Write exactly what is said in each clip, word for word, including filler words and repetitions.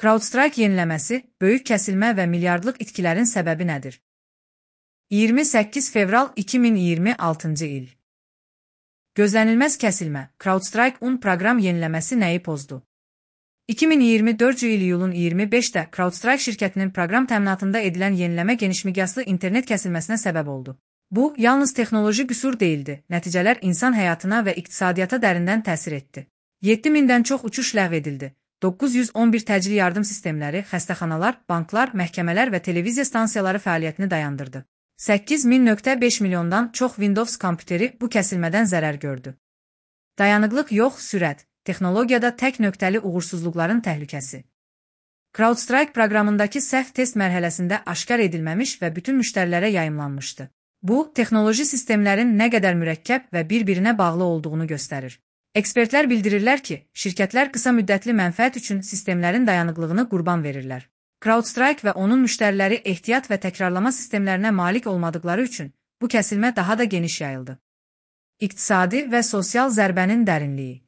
CrowdStrike yeniləməsi, böyük kəsilmə və milyardlıq itkilərin səbəbi nədir? iyirmi səkkiz fevral iki min iyirmi altıncı il. Gözlənilməz kəsilmə, CrowdStrike on proqram yeniləməsi nəyi pozdu? iki min iyirmi dördüncü il iyulun iyirmi beşində CrowdStrike şirkətinin proqram təminatında edilən yeniləmə genişmiqyaslı internet kəsilməsinə səbəb oldu. Bu, yalnız texnoloji qüsur deyildi, nəticələr insan həyatına və iqtisadiyyata dərindən təsir etdi. yeddi mindən çox uçuş ləğv edildi. doqquz yüz on bir təcili yardım sistemləri, xəstəxanalar, banklar, məhkəmələr və televiziya stansiyaları fəaliyyətini dayandırdı. səkkiz min nöqtə beş milyondan çox Windows kompüteri bu kəsilmədən zərər gördü. Dayanıqlıq yox, sürət, texnologiyada tək nöqtəli uğursuzluqların təhlükəsi. CrowdStrike proqramındakı səhv test mərhələsində aşkar edilməmiş və bütün müştərilərə yayımlanmışdı. Bu, texnoloji sistemlərin nə qədər mürəkkəb və bir-birinə bağlı olduğunu göstərir. Ekspertlər bildirirlər ki, şirkətlər qısa müddətli mənfəət üçün sistemlərin dayanıqlığını qurban verirlər. CrowdStrike və onun müştəriləri ehtiyat və təkrarlama sistemlərinə malik olmadıqları üçün bu kəsilmə daha da geniş yayıldı. İqtisadi və sosial zərbənin dərinliyi.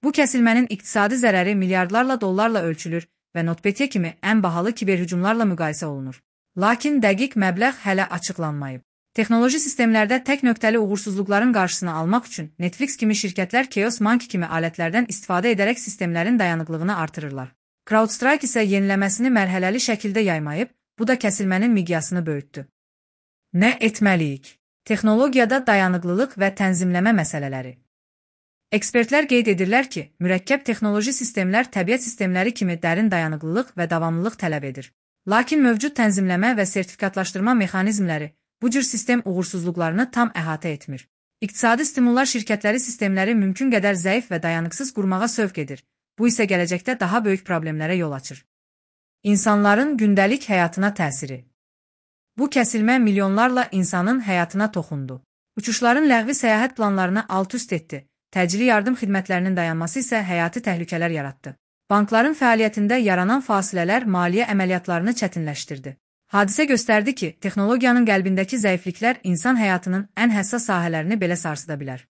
Bu kəsilmənin iqtisadi zərəri milyardlarla dollarla ölçülür və NotPetya kimi ən bahalı kiberhücumlarla müqayisə olunur. Lakin dəqiq məbləğ hələ açıqlanmayıb. Texnoloji sistemlərdə tək nöqtəli uğursuzluqların qarşısını almaq üçün Netflix kimi şirkətlər Chaos Monkey kimi alətlərdən istifadə edərək sistemlərin dayanıqlığını artırırlar. CrowdStrike isə yeniləməsini mərhələli şəkildə yaymayıb, bu da kəsilmənin miqyasını böyütdü. Nə etməliyik? Texnologiyada dayanıqlılıq və tənzimləmə məsələləri. Ekspertlər qeyd edirlər ki, mürəkkəb texnoloji sistemlər təbiət sistemləri kimi dərin dayanıqlılıq və davamlılıq tələb edir. Lakin mövcud tənzimləmə və sertifikatlaşdırma mexanizmləri bu cür sistem uğursuzluqlarını tam əhatə etmir. İqtisadi stimullar şirkətləri sistemləri mümkün qədər zəif və dayanıqsız qurmağa sövq edir. Bu isə gələcəkdə daha böyük problemlərə yol açır. İnsanların gündəlik həyatına təsiri. Bu kəsilmə milyonlarla insanın həyatına toxundu. Uçuşların ləğvi səyahət planlarını alt-üst etdi. Təcili yardım xidmətlərinin dayanması isə həyati təhlükələr yaratdı. Bankların fəaliyyətində yaranan fasilələr maliyyə əməliyyatlarını çətinləşdirdi. Hadisə göstərdi ki, texnologiyanın qəlbindəki zəifliklər insan həyatının ən həssas sahələrini belə sarsıda bilər.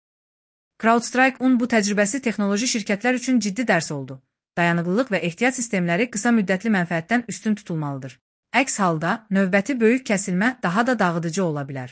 CrowdStrike on bu təcrübəsi texnoloji şirkətlər üçün ciddi dərs oldu. Dayanıqlılıq və ehtiyat sistemləri qısa müddətli mənfəətdən üstün tutulmalıdır. Əks halda, növbəti böyük kəsilmə daha da dağıdıcı ola bilər.